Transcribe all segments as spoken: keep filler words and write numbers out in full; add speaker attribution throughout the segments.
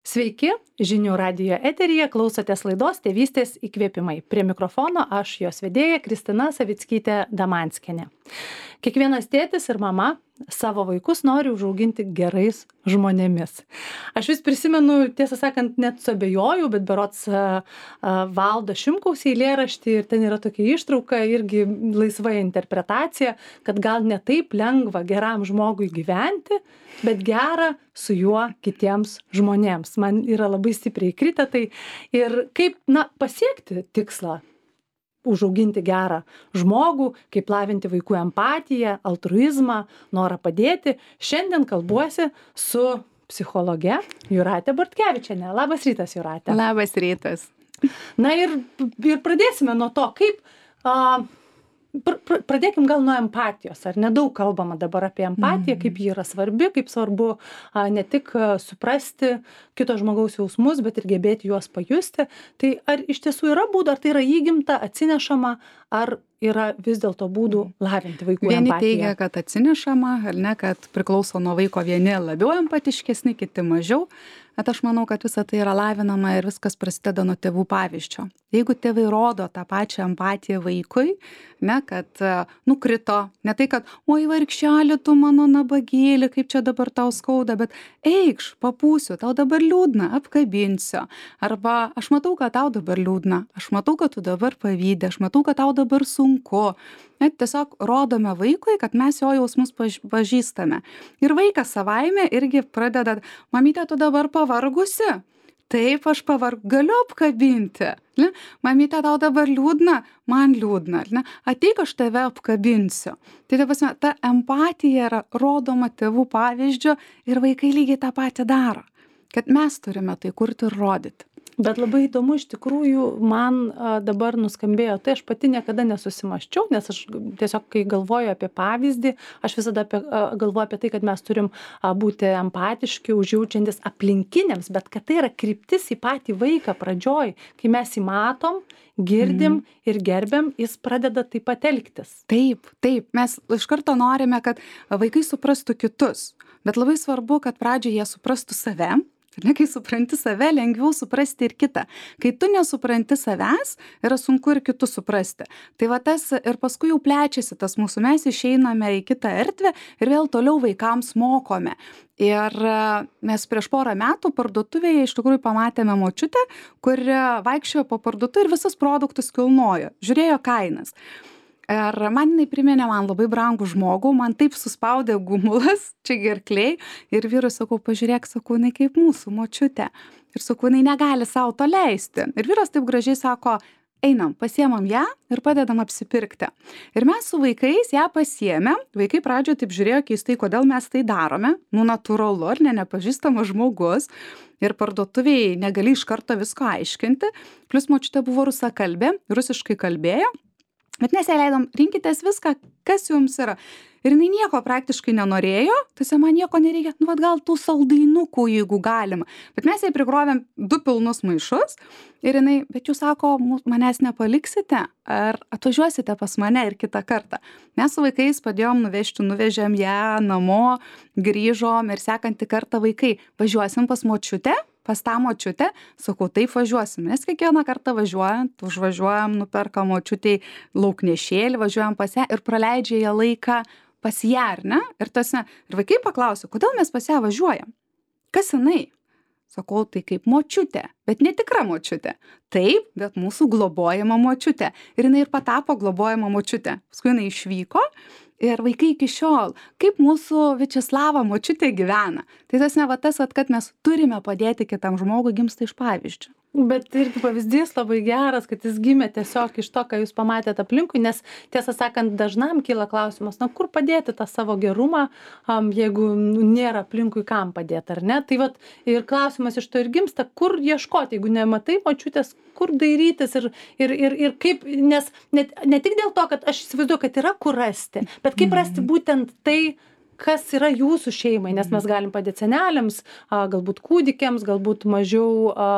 Speaker 1: Sveiki, žinių radijo eteryje klausotės laidos Tėvystės įkvėpimai. Prie mikrofono aš jos vedėja Kristina Savickytė Damanskienė. Kiekvienas tėtis ir mama savo vaikus nori užauginti gerais žmonėmis. Aš vis prisimenu, tiesą sakant, net suabejoju, bet berods uh, uh, Valdo Šimkaus eilėraštį ir ten yra tokia ištrauka, irgi laisva interpretacija, kad gal ne taip lengva geram žmogui gyventi, bet gera su juo kitiems žmonėms. Man yra labai stipriai įkritę tai ir kaip, na, pasiekti tikslą užauginti gerą žmogų, kaip lavinti vaikų empatiją, altruizmą, norą padėti. Šiandien kalbuosi su psichologe Jūrate Bortkevičiene. Labas rytas, Jūrate.
Speaker 2: Labas rytas.
Speaker 1: Na ir, ir pradėsime nuo to, kaip... A, pr pr pradėkim gal nuo empatijos. Ar nedaug kalbama dabar apie empatiją, kaip ji yra svarbi, kaip svarbu a, ne tik a, suprasti kito žmogaus jausmus, bet ir gebėti juos pajusti. Tai ar iš tiesų yra būdų, ar tai yra įgimta, atsinešama, ar yra vis dėlto būdų lavinti vaikų
Speaker 2: Vieni
Speaker 1: empatiją?
Speaker 2: teigia, kad atsinešama, ar ne, kad priklauso nuo vaiko, vieni labiau empatiškesni, kiti mažiau. Bet aš manau, kad visa tai yra lavinama ir viskas prasideda nuo tėvų pavyzdžio. Jeigu tėvai rodo tą pačią empatiją vaikui, ne, kad uh, nukrito, ne tai, kad oi vargšelė, tu mano nabagėlė, kaip čia dabar tau skauda, bet eikš, papūsiu, tau dabar liūdna, apkabinsiu. Arba aš matau, kad tau dabar liūdna, aš matau, kad tu dabar pavydi, aš matau, kad tau dabar sunku. Net tiesiog rodome vaikui, kad mes jo jausmus pažįstame. Ir vaikas savaime irgi pradeda, mamytė, tu dabar pavargusi? Taip, aš pavarg, galiu apkabinti. Ne? Mamytė, tau dabar liūdna? Man liūdna. Ne? Ateik, aš tave apkabinsiu. Tai ta prasme, ta empatija yra rodoma tėvų pavyzdžio ir vaikai lygiai tą patį daro. Kad mes turime tai kurti ir rodyti.
Speaker 1: Bet labai įdomu, iš tikrųjų, man a, dabar nuskambėjo, tai aš pati niekada nesusimaščiau, nes aš tiesiog, kai galvoju apie pavyzdį, aš visada apie, a, galvoju apie tai, kad mes turim a, būti empatiški, užjaučiantis aplinkiniams, bet kad tai yra kryptis į patį vaiką pradžioj, kai mes jį matom, girdim mm. ir gerbiam, jis pradeda taip pat elgtis.
Speaker 2: Taip, taip, mes iš karto norime, kad vaikai suprastų kitus, bet labai svarbu, kad pradžioje jie suprastų save. Ne, kai supranti save, lengviau suprasti ir kitą. Kai tu nesupranti savęs, yra sunku ir kitus suprasti. Tai va tas ir paskui jau plečiasi tas mūsų, mes išeiname į kitą erdvę ir vėl toliau vaikams mokome. Ir mes prieš porą metų parduotuvėje iš tikrųjų pamatėme močiutę, kuri vaikščiojo po parduotuvę ir visus produktus kilnojo, žiūrėjo kainas. Ir man jinai priminė man labai brangų žmogų, man taip suspaudė gumulas, čia gerkliai, ir vyrui sakau, pažiūrėk, sakau, jinai kaip mūsų močiutė. Ir sakau, jinai negali savo to leisti. Ir vyras taip gražiai sako, einam, pasiemam ją ir padedam apsipirkti. Ir mes su vaikais ją pasiėmėm, vaikai pradžioje taip žiūrėjo keistai, kodėl mes tai darome, nu natūralu, ar ne, nepažįstamas žmogus. Ir parduotuvėje negali iš karto visko aiškinti, plus močiutė buvo rusakalbė, rusiškai kalbėjo. Bet mes ją leidom, rinkitės viską, kas jums yra. Ir jinai nieko praktiškai nenorėjo, tai man nieko nereikia, nu vat gal tų saldainukų, jeigu galima. Bet mes jai prikrovėm du pilnus maišus ir jinai, bet jūs sako, manęs nepaliksite, ar atvažiuosite pas mane ir kitą kartą. Mes su vaikais padėjom nuvežti, nuvežėm ją namo, grįžom ir sekantį kartą vaikai, važiuosim pas močiutę. Pas tą močiutę, sakau, taip važiuosim, nes kiekvieną kartą važiuojant, užvažiuojam, nuperkam močiutei lauknešėlį, važiuojam pas ją ir praleidžia ją laiką pas ją, ar ne? Ir, tasme, ir vaikai paklausė, kodėl mes pas ją važiuojam? Kas jinai? Sakau, tai kaip močiutė, bet netikra močiutė. Taip, bet mūsų globojama močiutė. Ir jinai ir patapo globojama močiutė. Paskui jinai išvyko. Ir vaikai iki šiol, kaip mūsų Viačeslava močiutė gyvena. Tai tas ne va tas, kad mes turime padėti kitam žmogui, gimsta iš pavyzdžio.
Speaker 1: Bet irgi pavyzdys labai geras, kad jis gimė tiesiog iš to, ką jūs pamatėte aplinkui, nes tiesą sakant, dažnam kyla klausimas, na kur padėti tą savo gerumą, um, jeigu nu, nėra aplinkui kam padėti, ar ne? Tai vat ir klausimas iš to ir gimsta, kur ieškoti, jeigu nematai močiutės, kur dairytis ir, ir, ir, ir kaip, nes ne, ne tik dėl to, kad aš įsivaizduoju, kad yra kur rasti, bet kaip rasti būtent tai, kas yra jūsų šeimai, nes mes galim padėti seneliams, a, galbūt kūdikiams, galbūt mažiau a,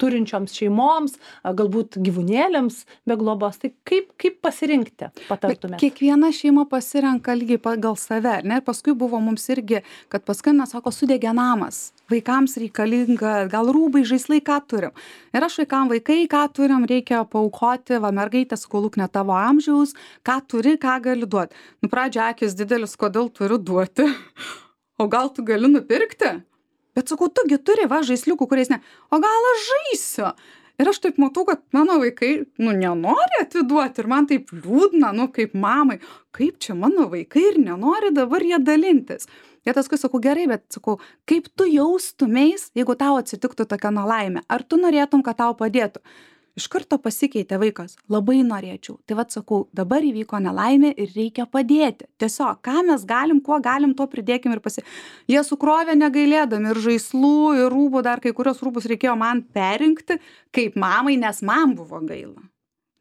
Speaker 1: turinčioms šeimoms, a, galbūt gyvūnėliams be globos. Tai kaip, kaip pasirinkti, patartumėte?
Speaker 2: Kiekviena šeima pasirenka lygiai pagal save, ne? Ir paskui buvo mums irgi, kad paskui, sako, sudegė namas. vaikams reikalinga, gal rūbai, žaislai, ką turim. Ir aš vaikam vaikai, ką turim, reikia paaukoti, va mergaitė, skoluk ne tavo amžiaus, ką turi, ką gali duoti. Nu, pradžia akis didelis, kodėl turiu duoti, o gal tu gali nupirkti? Bet sakau, tugi turi, va, žaisliukų, kuriais ne, o gal aš žaisiu? Ir aš taip matau, kad mano vaikai, nu, nenori atiduoti ir man taip liūdna, nu, kaip mamai, kaip čia mano vaikai ir nenori dabar jie dalintis. Ir paskui sakau, gerai, bet sakau, kaip tu jaustumeis, jeigu tau atsitiktų tokia nelaimė, ar tu norėtum, kad tau padėtų? Iš karto pasikeitė vaikas, labai norėčiau. Tai vat sakau, dabar įvyko nelaimė ir reikia padėti. Tiesiog, ką mes galim, kuo galim, to pridėkim ir pasi... Jie sukrovė negailėdami ir žaislų, ir rūbų, dar kai kurios rūbus reikėjo man perinkti, kaip mamai, nes man buvo gaila.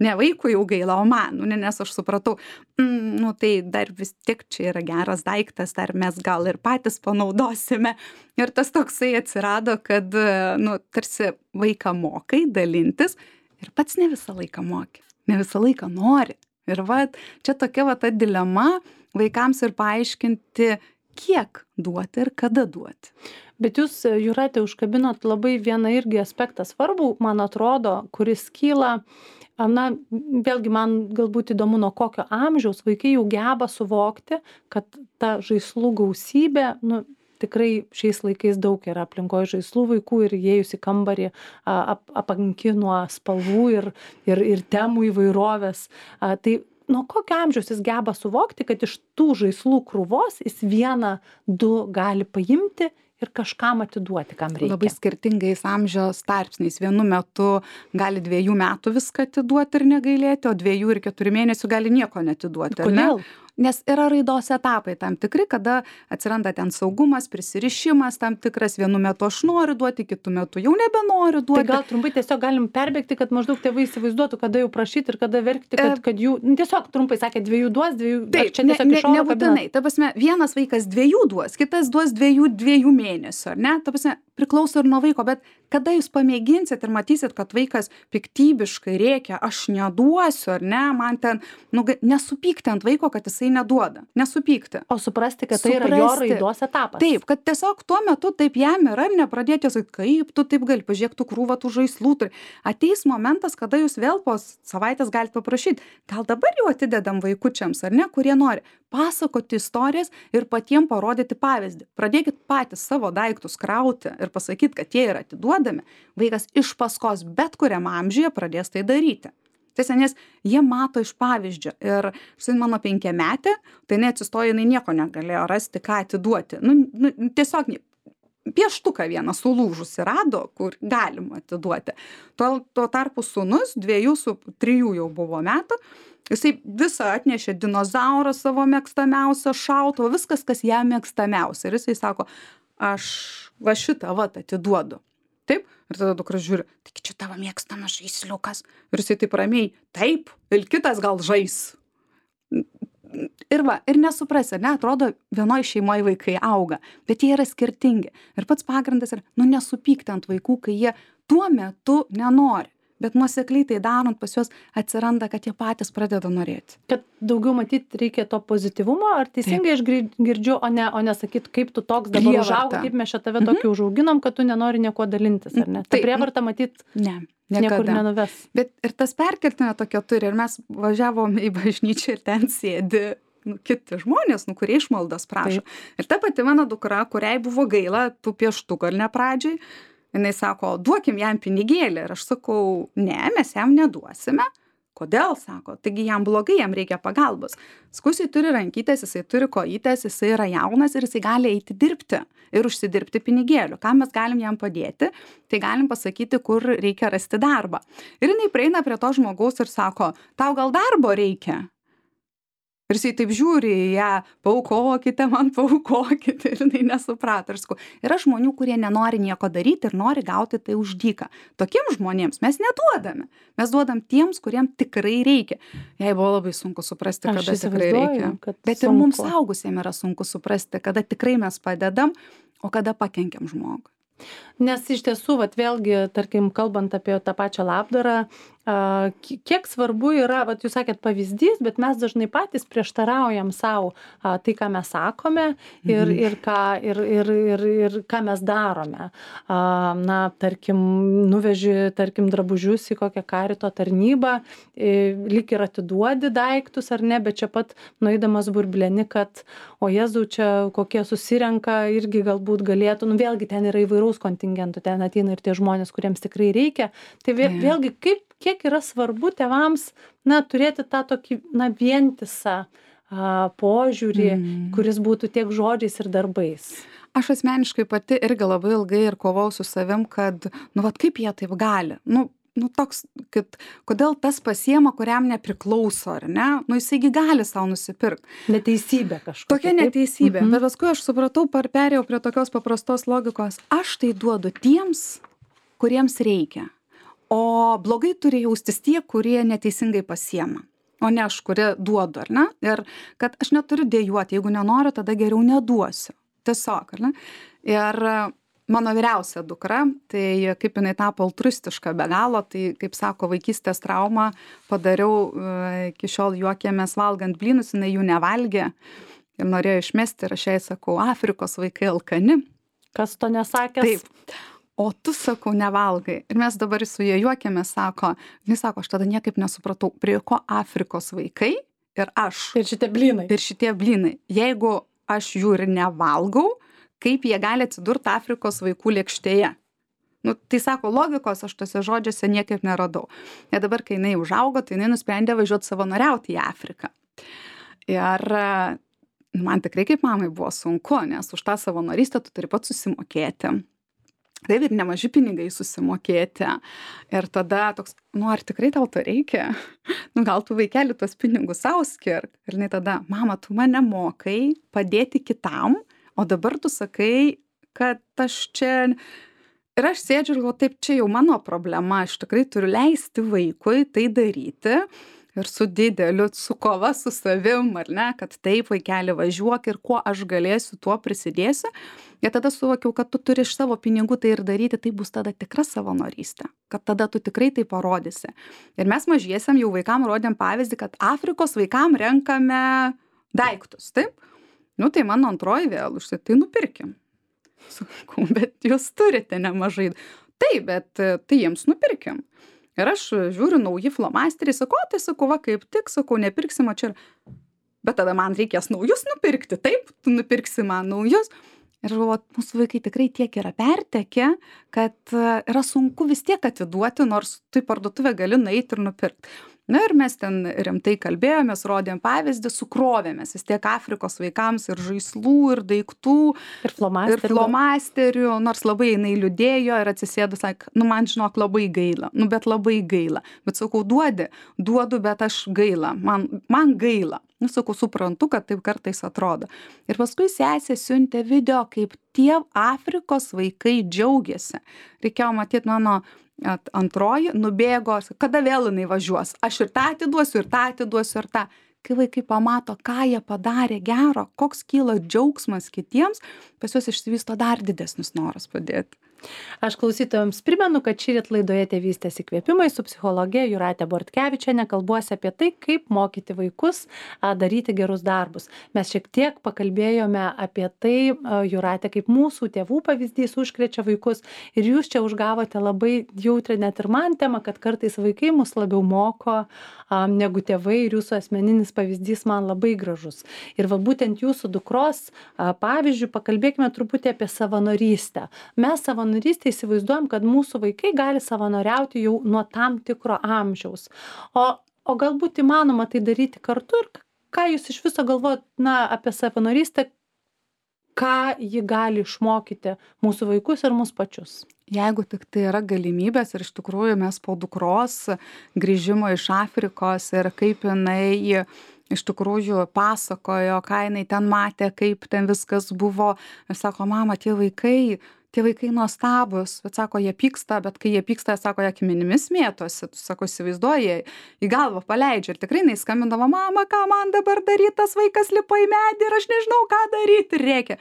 Speaker 2: Ne vaikui jau gaila, o man, nu, nes aš supratau, mm, nu tai dar vis tiek čia yra geras daiktas, dar mes gal ir patys panaudosime. Ir tas toksai atsirado, kad, nu, tarsi vaiką mokai dalintis, ir pats ne visą laiką moki, ne visą laiką nori. Ir va, čia tokia va ta dilema vaikams ir paaiškinti, kiek duoti ir kada duoti.
Speaker 1: Bet jūs, Jūrate, užkabinot labai vieną irgi aspektą svarbų, man atrodo, kuris kyla, na, vėlgi man galbūt įdomu, nuo kokio amžiaus vaikai jau geba suvokti, kad ta žaislų gausybė, nu, tikrai šiais laikais daug yra aplinkoje žaislų vaikų ir įėjus į kambarį ap, apanki nuo spalvų ir, ir, ir temų įvairovės. A, tai nuo kokio amžiaus jis geba suvokti, kad iš tų žaislų krūvos jis vieną, du gali paimti ir kažkam atiduoti, kam reikia.
Speaker 2: Labai skirtingais amžiaus tarpsniais. Vienu metu gali dviejų metų viską atiduoti ir negailėti, o dviejų ir keturių mėnesių gali nieko netiduoti.
Speaker 1: Kodėl?
Speaker 2: Ne? Nes yra raidos etapai tam tikri, kada atsiranda ten saugumas, prisirišimas tam tikras, vienu metu aš noriu duoti, kitu metu jau nebenoriu duoti.
Speaker 1: Tai gal trumpai tiesiog galim perbėgti, kad maždaug tėvai įsivaizduotų, kada jau prašyti ir kada verkti, kad, kad jų, nu, tiesiog trumpai sakė, dviejų duos, dviejų,
Speaker 2: taip,
Speaker 1: čia tiesiog
Speaker 2: ne,
Speaker 1: iš oro
Speaker 2: nebūtinai. Ta prasme, vienas vaikas dviejų duos, kitas duos dviejų, dviejų mėnesių, ar ne? Ta prasme, priklauso ir nuo vaiko, bet kada jūs pamėginsit ir matysit, kad vaikas piktybiškai rėkia, aš neduosiu, ar ne, man ten, nu, nesupykti ant vaiko, kad jisai neduoda. Nesupykti.
Speaker 1: O suprasti, kad tai suprasti. Yra jo raidos etapas.
Speaker 2: Taip, kad tiesiog tuo metu taip jam yra ir nepradėti sakyti, kaip tu taip gali, pažiūrėk, tu krūvą tų žaislų turi. Ateis momentas, kada jūs vėl po savaitės galite paprašyti, gal dabar jau atidedam vaikučiams, ar ne, kurie nori pasakoti istorijas ir patiem parodyti pavyzdį. Pradėkit patys savo daiktus krauti ir pasakyti, kad jie yra atiduodami. Vaikas iš paskos bet kuriam amžiuje pradės tai daryti. Tiesa, nes jie mato iš pavyzdžio. Ir štai mano penkiametė, tai neatsistoja, jinai nieko negalėjo rasti, ką atiduoti. Nu, nu, tiesiog pieštuką vieną sulūžusi rado, kur galima atiduoti. Tuo, tuo tarpu sūnus, dviejų su trijų jau buvo metų, jisai visą atnešė dinozaurą savo mėgstamiausią šautuvą, viskas, kas jam mėgstamiausia. Ir jisai sako, aš va šitą vat atiduodu. Taip? Ir tada dukra žiūri, taigi čia tavo mėgstamas žaisliukas. Ir jisai taip ramiai, taip, ir kitas gal žais. Ir va, ir nesuprasi, ne, atrodo, vienoj šeimoje vaikai auga, bet jie yra skirtingi. Ir pats pagrindas yra, nu, nesupykti ant vaikų, kai jie tuo metu nenori. Bet nuosekliai tai darant pas juos atsiranda, kad jie patys pradeda norėti.
Speaker 1: Kad daugiau matyti reikia to pozityvumo, ar teisingai aš girdžiu, o ne, o ne sakyt, kaip tu toks dabar užaugai, kaip mes čia tave tokį mhm. užauginom, kad tu nenori nieko dalintis, ar ne? Ta prievarta matyt
Speaker 2: ne,
Speaker 1: niekur nenuves.
Speaker 2: Bet ir tas perkeltinė tokia turi, ir mes važiavom į bažnyčią ir ten sėdi nu, kiti žmonės, nu, kurie išmaldos prašo. Taip. Ir ta pati mano dukra, kuriai buvo gaila tų pieštukų ar ne pradžiai, jinai sako, duokim jam pinigėlį. Ir aš sakau, ne, mes jam neduosime. Kodėl, sako, taigi jam blogai, jam reikia pagalbos. Skusiai turi rankytės, jisai turi kojytės, jisai yra jaunas ir jisai gali eiti dirbti ir užsidirbti pinigėlių. Ką mes galim jam padėti, tai galim pasakyti, kur reikia rasti darbą. Ir jinai prieina prie to žmogaus ir sako, tau gal darbo reikia? Ir jisai taip žiūri į ją, paaukokite man, paaukokite, ir jinai nesuprato. Ir sakau, yra žmonių, kurie nenori nieko daryti ir nori gauti tai už dyką. Tokiems žmonėms mes neduodame. Mes duodam tiems, kuriems tikrai reikia. Jai buvo labai sunku suprasti,
Speaker 1: Aš
Speaker 2: kada tikrai reikia. Bet
Speaker 1: sunku.
Speaker 2: Ir mums saugusiems yra sunku suprasti, kada tikrai mes padedam, o kada pakenkiam žmogui.
Speaker 1: Nes iš tiesų, vat vėlgi, tarkim, kalbant apie tą pačią labdarą, a, ki- kiek svarbu yra, vat jūs sakėt pavyzdys, bet mes dažnai patys prieštaraujam savo tai, ką mes sakome ir,
Speaker 2: Mhm.
Speaker 1: ir, ką, ir, ir, ir, ir ką mes darome. A, na, tarkim, nuveži, tarkim, drabužius į kokią karito tarnybą, e, lyg ir atiduodi daiktus ar ne, bet čia pat nueidamas burbleni, kad o Jėzau, čia kokie susirenka, irgi galbūt galėtų, nu vėlgi ten yra įvairaus kontingento, ten ateina ir tie žmonės, kuriems tikrai reikia. Tai vė,
Speaker 2: Taip.
Speaker 1: vėlgi, kaip, kiek yra svarbu tėvams, na, turėti tą tokį, na, vientisą a, požiūrį,
Speaker 2: Mm.
Speaker 1: kuris būtų tiek žodžiais ir darbais.
Speaker 2: Aš asmeniškai pati irgi labai ilgai ir kovau su savim, kad, nu, vat kaip jie taip gali. Nu, nu toks, kad kodėl tas pasiema, kuriam nepriklauso, ar ne? Nu, jisai gali savo nusipirkti.
Speaker 1: Neteisybė kažkokia.
Speaker 2: Tokia
Speaker 1: taip?
Speaker 2: neteisybė.
Speaker 1: Mhm.
Speaker 2: Bet paskui aš supratau, par perėjau prie tokios paprastos logikos. Aš tai duodu tiems, kuriems reikia. O blogai turi jaustis tie, kurie neteisingai pasiema. O ne aš, kurie duodu, ar ne? Ir kad aš neturiu dėjuoti, jeigu nenoriu, tada geriau neduosiu. Tiesiog, ar ne? Ir mano vyriausia dukra, tai kaip jinai tapo altruistiška be galo, tai kaip sako, vaikystės traumą padariau, e, iki šiol juokėmės valgant blynus, jinai jų nevalgė ir norėjo išmesti ir aš jai sakau, Afrikos vaikai alkani.
Speaker 1: Kas to nesakęs?
Speaker 2: Taip. O tu, sakau, nevalgai. Ir mes dabar su jie juokėmės, sako, jis sako, aš tada niekaip nesupratau, prie ko Afrikos vaikai ir aš.
Speaker 1: Ir šitie blynai.
Speaker 2: Ir šitie blynai. Jeigu aš jų ir nevalgau, kaip jie gali atsidurti Afrikos vaikų lėkštėje. Nu, tai sako, logikos aš tose žodžiuose niekaip neradau. Ir dabar, kai jinai užaugo, tai jinai nusprendė važiuoti savanoriauti į Afriką. Ir man tikrai kaip mamai buvo sunku, nes už tą savanorystę tu turi pats susimokėti. Taip ir nemaži pinigai susimokėti. Ir tada toks, nu ar tikrai tau to reikia? Nu gal tu vaikeli tuos pinigus savo skirk. Ir jinai tada, mama, tu mane mokai padėti kitam, o dabar tu sakai, kad aš čia... Ir aš sėdžiu ir galvoju, taip, čia jau mano problema, aš tikrai turiu leisti vaikui tai daryti. Ir su dideliu, su kova su savim, ar ne, kad taip, vaikeli, važiuok ir kuo aš galėsiu, tuo prisidėsiu. Ir tada suvokiau, kad tu turi iš savo pinigų tai ir daryti, tai bus tada tikra savanorystė, kad tada tu tikrai tai parodysi. Ir mes mažiesiam jau vaikam rodėm pavyzdį, kad Afrikos vaikam renkame daiktus, taip? Nu tai mano antroji vėl užsiai, tai nupirkim. Sakau, bet jūs turite nemažai. Taip, bet tai jiems nupirkim. Ir aš žiūriu nauji flomasteriai, sakau, tai sakau, va kaip tik, sakau, nepirksim, o čia ir... Bet tada man reikės naujus nupirkti, taip, tu nupirksi man naujus. Ir galvoju, mūsų vaikai tikrai tiek yra pertekę, kad yra sunku vis tiek atiduoti, nors tu į parduotuvę gali nueiti ir nupirkti. Na ir mes ten rimtai kalbėjomės, rodėm pavyzdį, sukrovėmės vis tiek Afrikos vaikams ir žaislų, ir daiktų,
Speaker 1: Ir flomasterių.
Speaker 2: ir flomasterių, nors labai jinai liūdėjo ir atsisėdo, sakė, nu man žinok labai gaila, nu bet labai gaila. Bet sakau, duodi, duodu, bet aš gaila, man, man gaila. Nu sakau, suprantu, kad taip kartais atrodo. Ir paskui sesė siuntė video, kaip tie Afrikos vaikai džiaugiasi. Reikėjo matyti mano at, antroji, nubėgo, kada vėl jinai važiuos. Aš ir tą atiduosiu, ir tą atiduosiu, ir tą. Kai vaikai pamato, ką jie padarė gero, koks kyla džiaugsmas kitiems, pas juos išsivysto dar didesnis noras padėti.
Speaker 1: Aš klausytojams primenu, kad šįryt laidoje Tėvystės įkvėpimai su psichologe Jūrate Bortkevičiene kalbuosi apie tai, kaip mokyti vaikus a, daryti gerus darbus. Mes šiek tiek pakalbėjome apie tai, a, Jūrate, kaip mūsų tėvų pavyzdys užkrečia vaikus ir jūs čia užgavote labai jautrią net ir man temą, kad kartais vaikai mus labiau moko a, negu tėvai ir jūsų asmeninis pavyzdys man labai gražus. Ir va būtent jūsų dukros a, pavyzdžių pakalbėkime truputį apie savanorystę. Mes savanorystę savanorystę įsivaizduojam, kad mūsų vaikai gali savanoriauti jau nuo tam tikro amžiaus. O, o galbūt įmanoma tai daryti kartu ir ką jūs iš viso galvojat, na, apie savanorystę, ką ji gali išmokyti mūsų vaikus ir mus pačius?
Speaker 2: Jeigu tik tai yra galimybės ir iš tikrųjų mes po dukros grįžimo iš Afrikos ir kaip jinai iš tikrųjų pasakojo, ką jinai ten matė, kaip ten viskas buvo. Aš sako, mama, tie vaikai, tie vaikai nuostabus, bet sako, jie pyksta, bet kai jie pyksta, sako, jie akmenimis mėtosi, tu sako, įsivaizduoji, į galvą paleidžia ir tikrai jinai skambindavo, mama, ką man dabar daryti, tas vaikas lipa į medį ir aš nežinau, ką daryti ir reikia.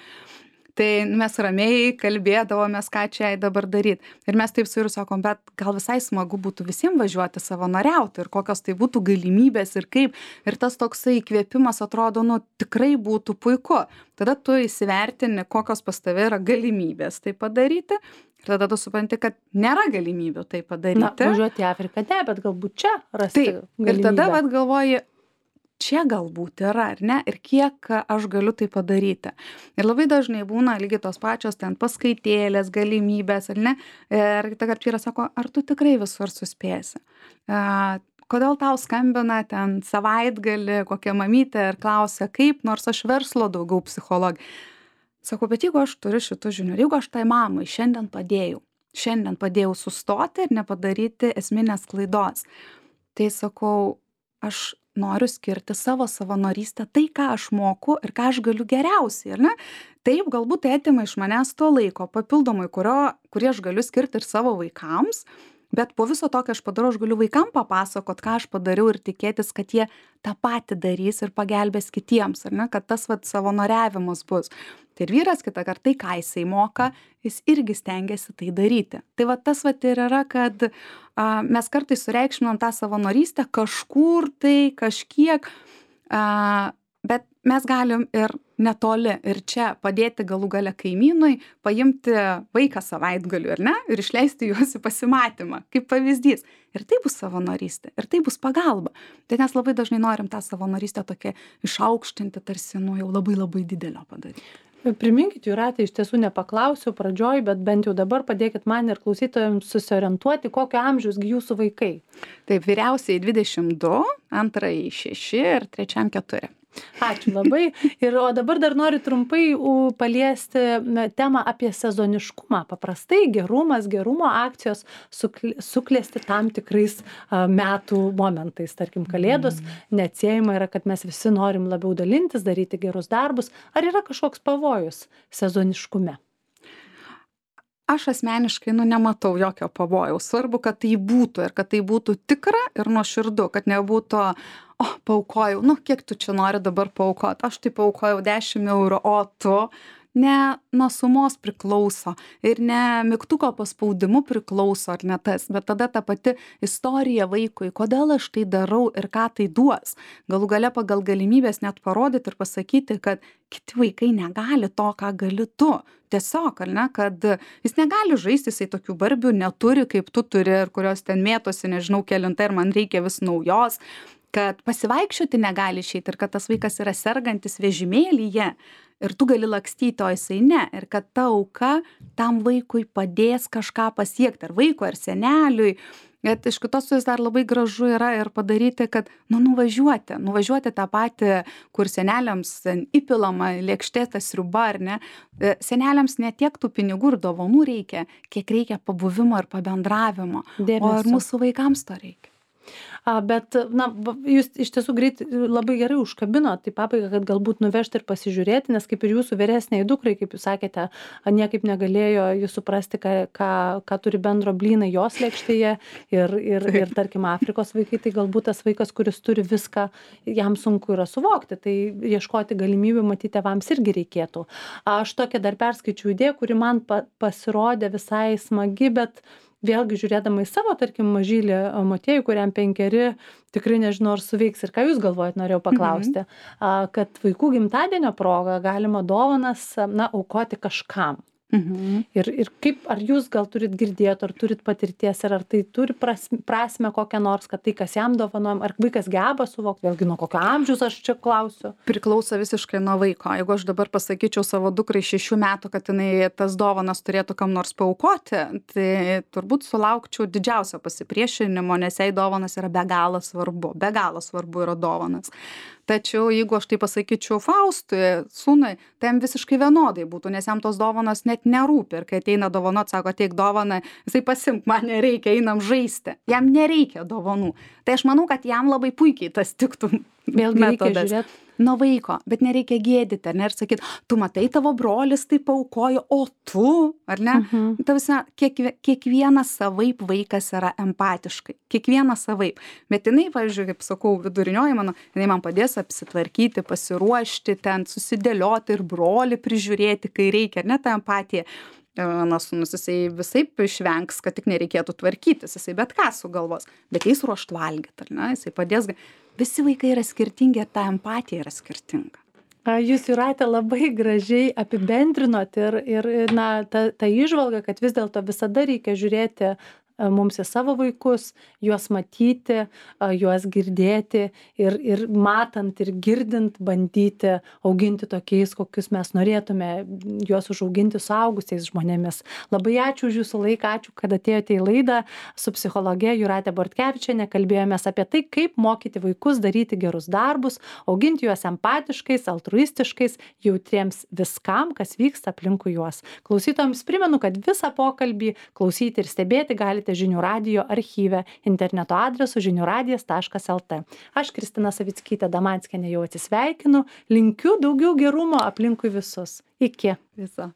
Speaker 2: Tai mes ramiai kalbėdavomės, ką čia jai dabar daryti. Ir mes taip su vyru sakom, bet gal visai smagu būtų visiems važiuoti savanoriauti ir kokios tai būtų galimybės ir kaip. Ir tas toksai įkvėpimas atrodo, nu tikrai būtų puiku. Tada tu įsivertini, kokios pas tave yra galimybės tai padaryti. Ir tada tu supranti, kad nėra galimybių tai padaryti.
Speaker 1: Na, važiuoti į Afriką, ne, bet galbūt čia rasti
Speaker 2: Taip.
Speaker 1: galimybę.
Speaker 2: Ir tada vat galvoji, čia galbūt yra, ar ne, ir kiek aš galiu tai padaryti. Ir labai dažnai būna lygiai tos pačios ten paskaitėlės, galimybės, ar ne. Ir kitą kartą vyras sako, ar tu tikrai visur suspėsi? Uh, kodėl tau skambina ten savaitgalį kokia mamytė ir klausia, kaip, nors aš verslo daugiau psichologija. Sakau, bet jeigu aš turiu šitų žinių, jeigu aš tai mamai šiandien padėjau, šiandien padėjau sustoti ir nepadaryti esminės klaidos, tai sakau, aš noriu skirti savo savanorystę tai, ką aš moku ir ką aš galiu geriausiai, ar ne? Taip, galbūt tai atima iš manęs to laiko papildomai, kurio, kurį aš galiu skirti ir savo vaikams, bet po viso to, ką aš padarau, aš galiu vaikam papasakot, ką aš padariau ir tikėtis, kad jie tą patį darys ir pagelbės kitiems, ar ne? Kad tas vat savanoriavimas bus. Tai ir vyras kitą kartą, tai ką jisai moka, jis irgi stengiasi tai daryti. Tai va tas va ir yra, kad a, mes kartais sureikšminam tą savanorystę kažkur tai, kažkiek, a, bet mes galim ir netoli ir čia padėti galų gale kaimynui, paimti vaiką savaitgaliu, ar ne, ir išleisti juos į pasimatymą, kaip pavyzdys. Ir tai bus savanorystė, ir tai bus pagalba. Tai mes labai dažnai norim tą savanorystę tokią išaukštinti, tarsi, nu, jau labai labai didelio padaryti.
Speaker 1: Priminkit, Jūratė, iš tiesų nepaklausiau pradžioj, bet bent jau dabar padėkit man ir klausytojams susiorientuoti, kokio amžiaus jūsų vaikai.
Speaker 2: Taip, vyriausiai dvidešimt du, antrai šeši ir trečiam keturi.
Speaker 1: Ačiū labai. Ir o dabar dar noriu trumpai u, paliesti na, temą apie sezoniškumą. Paprastai gerumas, gerumo akcijos sukl- suklesti tam tikrais a, metų momentais. Tarkim, Kalėdos neatsiejama yra, kad mes visi norim labiau dalintis, daryti gerus darbus. Ar yra kažkoks pavojus sezoniškume?
Speaker 2: Aš asmeniškai, nu, nematau jokio pavojaus. Svarbu, kad tai būtų ir kad tai būtų tikra ir nuoširdu, kad nebūtų, o, paaukojau, nu, kiek tu čia nori dabar paaukoti, aš tai paaukojau dešimt eurų, o tu ne nuo sumos priklauso ir ne mygtuko paspaudimu priklauso, ar ne tas, bet tada ta pati istorija vaikui, kodėl aš tai darau ir ką tai duos. Galų gale pagal galimybės net parodyti ir pasakyti, kad kiti vaikai negali to, ką gali tu. Tiesiog, ar ne, kad jis negali žaisti, jisai tokių barbių neturi, kaip tu turi, ir kurios ten mėtosi, nežinau, kelinta ir man reikia vis naujos, kad pasivaikščioti negali išeiti ir kad tas vaikas yra sergantis vežimėlyje ir tu gali lakstyti, o jisai ne. Ir kad ta auka tam vaikui padės kažką pasiekti, ar vaiko, ar seneliui. Bet iš kitos pusės dar labai gražu yra ir padaryti, kad, nu, nuvažiuoti, nuvažiuoti tą patį, kur seneliams įpilama lėkštė sriuba, ar ne. Seneliams ne tiek tų pinigų ir dovanų reikia, kiek reikia pabuvimo ir pabendravimo.
Speaker 1: Dėmesio.
Speaker 2: O ir mūsų vaikams to reikia.
Speaker 1: A, bet, na, va, jūs iš tiesų greit labai gerai užkabino, tai pabaiga, kad galbūt nuvežti ir pasižiūrėti, nes kaip ir jūsų vyresniai dukrai, kaip jūs sakėte, a, niekaip negalėjo jūs suprasti, ką, ką, ką turi bendro blynai jos lėkštėje ir, ir, ir, tarkim, Afrikos vaikai, tai galbūt tas vaikas, kuris turi viską, jam sunku yra suvokti, tai ieškoti galimybių matyti tėvams irgi reikėtų. Aš tokią dar perskaičiau idėją, kuri man pa, pasirodė visai smagi, bet vėlgi žiūrėdama į savo, tarkim, mažylį motiejų, kuriam penkeri, tikrai nežinau, ar suveiks ir ką jūs galvojat, norėjau paklausti, mhm. kad vaikų gimtadienio proga galima dovanas, na, aukoti kažkam.
Speaker 2: Mhm.
Speaker 1: Ir, ir kaip, ar jūs gal turit girdėti, ar turit patirties, ar, ar tai turi prasme, prasme kokią nors, kad tai, kas jam dovanojam, ar vaikas geba suvokti, vėlgi nuo kokio amžiaus aš čia klausiu.
Speaker 2: Priklauso visiškai nuo vaiko. Jeigu aš dabar pasakyčiau savo dukrai šešių metų, kad jinai tas dovanas turėtų kam nors paaukoti, tai turbūt sulaukčiau didžiausio pasipriešinimo, nes jai dovanas yra be galo svarbu. Be galo svarbu yra dovanas. Tačiau jeigu aš tai pasakyčiau Faustui, sūnui, tai jam visiškai vienodai būtų, nes jam tos dovanos net nerūpi. Ir kai ateina dovanot, sako, ateik dovaną, jisai pasimk, man nereikia, einam žaisti. Jam nereikia dovanų. Tai aš manau, kad jam labai puikiai tas tiktų
Speaker 1: Vėlgi reikia
Speaker 2: metodas.
Speaker 1: žiūrėti.
Speaker 2: nuo vaiko, bet nereikia gėdyti, ar ne, ir sakyti, tu matai, tavo brolis tai paaukojo, o tu, ar ne? Mhm. Tavasi, kiekvie, kiekvienas savaip vaikas yra empatiškai, kiekvienas savaip. Bet jinai, pavyzdžiui, kaip sakau, vidurinioji mano, jinai man padės apsitvarkyti, pasiruošti, ten susidėlioti ir brolį prižiūrėti, kai reikia, ar ne, ta empatija. Mano sūnus, jisai visaip išvengs, kad tik nereikėtų tvarkytis, jisai bet ką sugalvos, bet jis ruošt valgyti, ar ne, jisai padės. Visi vaikai yra skirtingi ir ta empatija yra skirtinga.
Speaker 1: Jūs, Jūrate, labai gražiai apibendrinot ir, ir na, ta, ta įžvalga, kad vis dėlto visada reikia žiūrėti mums į savo vaikus, juos matyti, juos girdėti ir, ir matant ir girdint bandyti auginti tokiais, kokius mes norėtume juos užauginti suaugusiais žmonėmis. Labai ačiū už jūsų laiką, ačiū, kad atėjote į laidą su psichologe Jūrate Bortkevičiene. Kalbėjomės apie tai, kaip mokyti vaikus daryti gerus darbus, auginti juos empatiškais, altruistiškais, jautriems viskam, kas vyksta aplinkui juos. Klausytojams primenu, kad visą pokalbį klausyti ir stebėti galite Žinių radijo archyve interneto adresu žinių radijas taškas lt. Aš, Kristina Savickytė Damanskienė, jau atsisveikinu. Linkiu daugiau gerumo aplinkui visus. Iki.
Speaker 2: Viso.